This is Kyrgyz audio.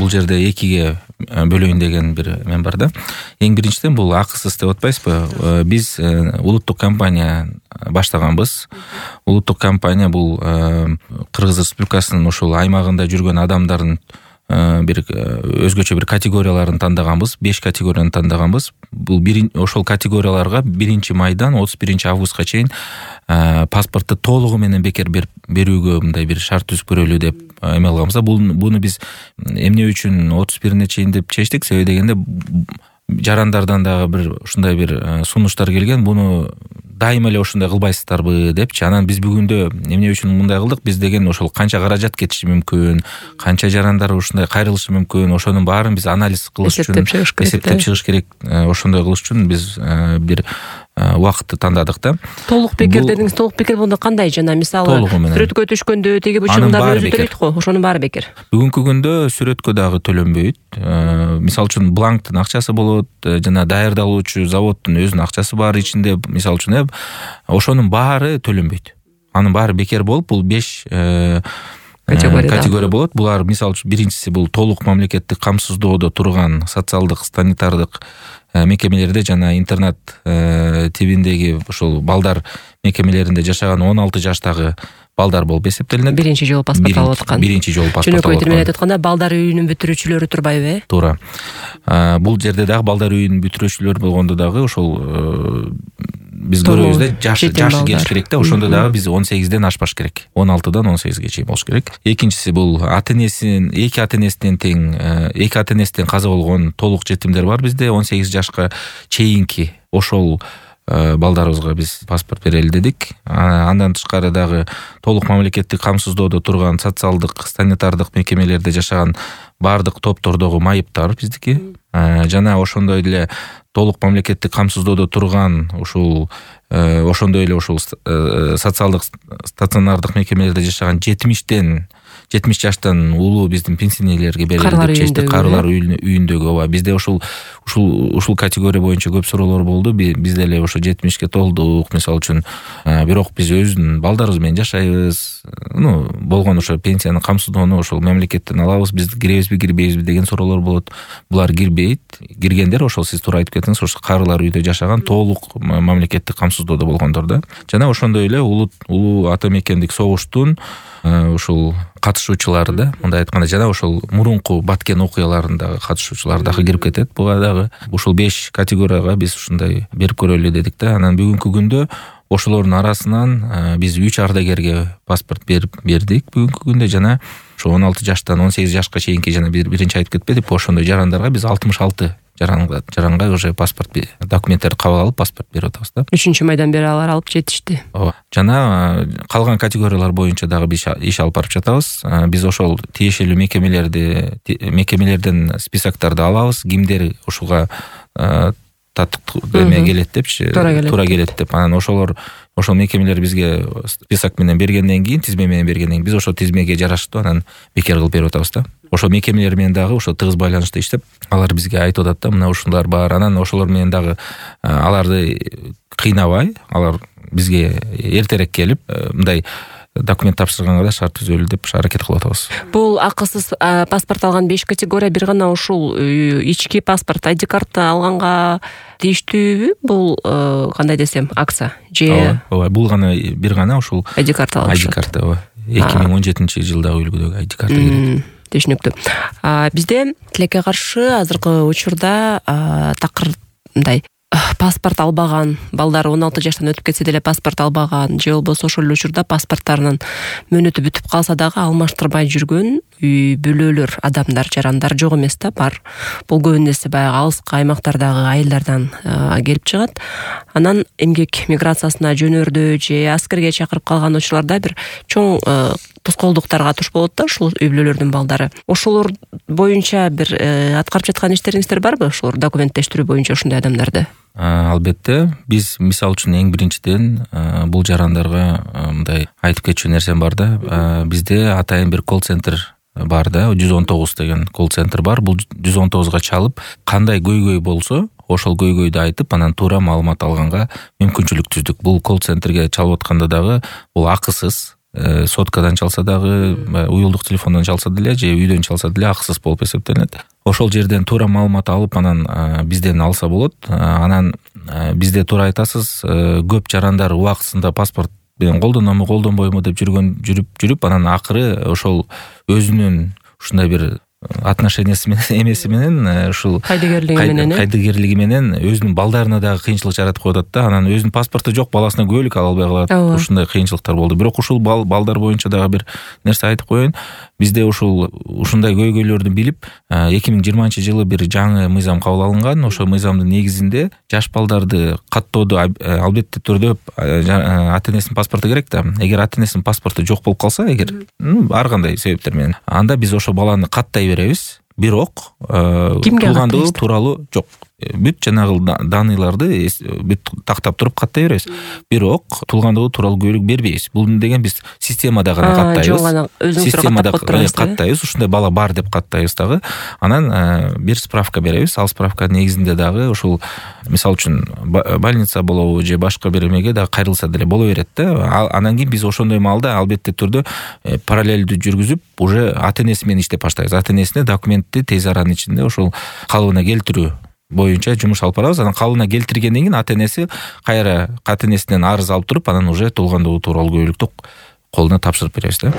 бул жерде экиге бөлөйүн деген бир эме бар да. Эң биринчиден бул акысыз деп атпайсызбы? Биз улуттук компания баштаганбыз. Улуттук компания бул Кыргыз Республикасынын ошол аймагында жүргөн адамдардын бир өзгөчө бир категорияларын тандаганбыз. 5 категорияны тандаганбыз. Бул ошол категорияларга 1-майдан 31-августка чейин паспортты толугу менен бекер берүүгө мындай бир шарт түзүп көрөлү деп эме кылганбыз да. Буну биз эмне үчүн 31-ине чейин деп чечтик? Себеби дегенде жарандардан дагы бир ушундай бир сунуштар келген. Буну дайыма эле ошондой кылбайсыздарбы депчи. Анан биз бүгүндө эмне үчүн мындай кылдык? Биз деген ошол канча каражат кетиши мүмкүн, канча жарандар ушундай кайрылышы мүмкүн, ошонун баарын биз анализ кылыш үчүн эсептеп чыгыш керек. Ошондой кылыш үчүн биз бир убакытты тандадык да. Толук бекер дедиңиз. Толук бекер болгондо кандай? Жана мисалы сүрөткө түшкөндө теги бычымдар өзү төлөйт го. Ошонун баары бекер. Бүгүнкү күндө сүрөткө дагы төлөнбөйт. Мисалы үчүн бланктын акчасы болот, жана даярдалуучу заводдун өзүнүн акчасы бар ичинде. Мисалы үчүн ошонун баары төлөнбөйт. Анын баары бекер болуп, бул 5 категория болот. Булар мисалы үчүн биринчиси бул толук мамлекеттик камсыздоодо турган социалдык, санитардык мекемелерде жана интернат тибиндеги ошол балдар мекемелеринде жашаган 16 жаштагы балдар болуп эсептелинет. Биринчи жолу паспорт алып аткан. Биринчи жолу паспорт алып аткан. Жөнөкөй тил менен айтканда балдар үйүнүн бүтүрүүчүлөрү турбайбы? Туура. Бул жерде дагы балдар үйүнүн бүтүрүүчүлөр болгондо дагы ошол биз көрөбүз да, жашы келиш керек да. Ошондо дагы биз 18ден ашпаш керек. 16дан 18ге чейин болуш керек. Экинчиси бул эки ата энесинен каза болгон толук жетимдер бар бизде. 18 жашка чейинки ошол балдарыбызга биз паспорт берели дедик. Андан тышкары дагы толук мамлекеттик камсыздоодо турган социалдык, санитардык мекемелерде жашаган бардык топтордогу майыптар биздики. Жана ошондой эле толук мамлекеттик камсыздоодо турган ошондой эле социалдык стационардык мекемелерде жашаган 70 жаштан улуу биздин пенсионерлерге берели деп чечтик. Карылар үйүндөгү. Ооба, бизде ушул категория боюнча көп суроолор болду. Биз деле ошо 70ке толдук, мисалы үчүн. Бирок биз өзүнүн балдарыбыз менен жашайбыз. Болгон ошо пенсияны камсыздоону ошол мамлекеттен алабыз. Биз киребизби, кирбейбизби деген суроолор болот. Булар кирбейт. Киргендер ошол сиз туура айтып кеттиңиз, ошо карылар үйдө жашаган толук мамлекеттик камсыздоодо болгондор да. Жана ошондой эле улуу ата мекендик согуштун ушул катышуучулары да, мындай айтканда, жана ошол мурунку баткен окуяларындагы катышуучулар дагы кирип кетет. Буга дагы ушул 5 категорияга биз ушундай берип көрөлү дедик да. Анан бүгүнкү күндө ошолордун арасынан биз 3 ардагерге паспорт бердик бүгүнкү күндө. Жана ошо 16 жаштан 18 жашка чейинки, жана биринчи айтып кетпедик, ошондой жарандарга биз 66 жаранга уже паспорт документтерди кабыл алып паспорт берип атабыз да. 3-майдан бери алар алып жетишти. Ооба. Жана калган категориялар боюнча дагы биз иш алып барып жатабыз. Биз ошол тиешелүү мекемелерден списокторду алабыз. Кимдер ушуга эме келет депчи, туура келет деп. Анан ошол мекемелер бизге список менен бергенден кийин, тизме менен бергенден кийин биз ошол тизмеге жараштуу анан бекер кылып берип атабыз да. Ошол мекемелер менен дагы ошо тыгыз байланышта иштеп, алар бизге айтып атат да, мына ушулар бар. Анан ошолор менен дагы аларды кыйнабай, алар бизге эртерээк келип, мындай документ тапшырганга да шарт түзөлү деп аракет кылып атабыз. Бул акысыз паспорт алган 5 категория бир гана ушул ички паспорт, ID картты алганга тийиштүүбү? Бул кандай десем, акция же? Ооба, бул гана бир гана ушул ID карта алыш. ID карта, ооба. 2017-жылдагы үлгүдөгү ID карта керек. Түшүнүктүү. Бизде тилекке каршы азыркы учурда такыр мындай паспорт албаган балдар 16 жаштан өтүп кетсе деле паспорт албаган, же болбосо ошол учурда паспорттарынын мөөнөтү бүтүп калса дагы алмаштырбай жүргөн үй бүлөлөр, адамдар, жарандар жок эмес да, бар. Бул көбүнесе баягы алыскы аймактардагы айылдардан келип чыгат. Анан эмгек миграциясына жөнөрдө же аскерге чакырып калган учурларда бир чоң тоскоолдуктарга туш болот да ушул үй бүлөлөрдүн балдары. Ошолор боюнча бир аткарып жаткан иштериңиздер барбы? Ошолор документтештирүү боюнча ушундай адамдарды? Албетте, биз мисалы үчүн эң биринчиден бул жарандарга мындай айтып кетчү нерсем бар да. Бизде атайын бир колл-центр бар да, 119 деген колл-центр бар. Бул 119га чалып, кандай көйгөй болсо, ошол көйгөйдү айтып, анан туура маалымат алганга мүмкүнчүлүк түздүк. Бул колл-центрге чалып атканда дагы бул акысыз. соткадан чалса дагы, уюлдук телефондон чалса деле же үйдөн чалса деле акысыз болуп эсептелинет. Ошол жерден туура маалымат алып, анан бизден алса болот. Анан бизде туура айтасыз, көп жарандар убактысында паспорт менен колдонобу, колдонбойбу деп жүрүп, анан акыры ошол өзүнүн ушундай бир отношениясы менен эмеси менен ушул кайдыгерлиги менен өзүнүн балдарына дагы кыйынчылык жаратып коюп атат да. Анан өзүнүн паспорту жок, баласына күбөлүк ала албай калат. Ушундай кыйынчылыктар болду. Бирок ушул балдар боюнча дагы бир нерсе айтып коеюн. Бизде ушундай көйгөйлөрдү билип, 2020-жылы бир жаңы мыйзам кабыл алынган. Ошол мыйзамдын негизинде жаш балдарды каттоодо албетте түрдө ата-энесинин паспорту керек да. Эгер ата-энесинин паспорту жок болуп калса, ар кандай себептер менен, анда биз ошол баланы каттай беребиз. Бирок туулгандыгы тууралуу жок. Бүт жанагы даныйларды бүт тактап туруп каттай беребиз. Бирок туулгандыгы тууралуу күбөлүк бербейбиз. Бул деген биз системада гана каттайбыз. Системада каттайбыз. Ушундай бала бар деп каттайбыз дагы. Анан бир справка беребиз. Ал справканын негизинде дагы ушул, мисалы үчүн, больница болобу же башка бир эмеге дагы кайрылса деле боло берет да. Анан кийин биз ошондой маалда албетте түрдө параллелдүү жүргүзүп, уже ата-энеси менен иштеп баштайбыз. Ата-энесине документти тез аранын ичинде ошол калыбына келтирүү боюнча жумуш алып барабыз. Анан калыбына келтиргенден кийин ата-энеси кайра ата-энесинен арыз алып туруп, анан уже туулгандыгы тууралуу күбөлүктү колуна тапшырып беребиз да.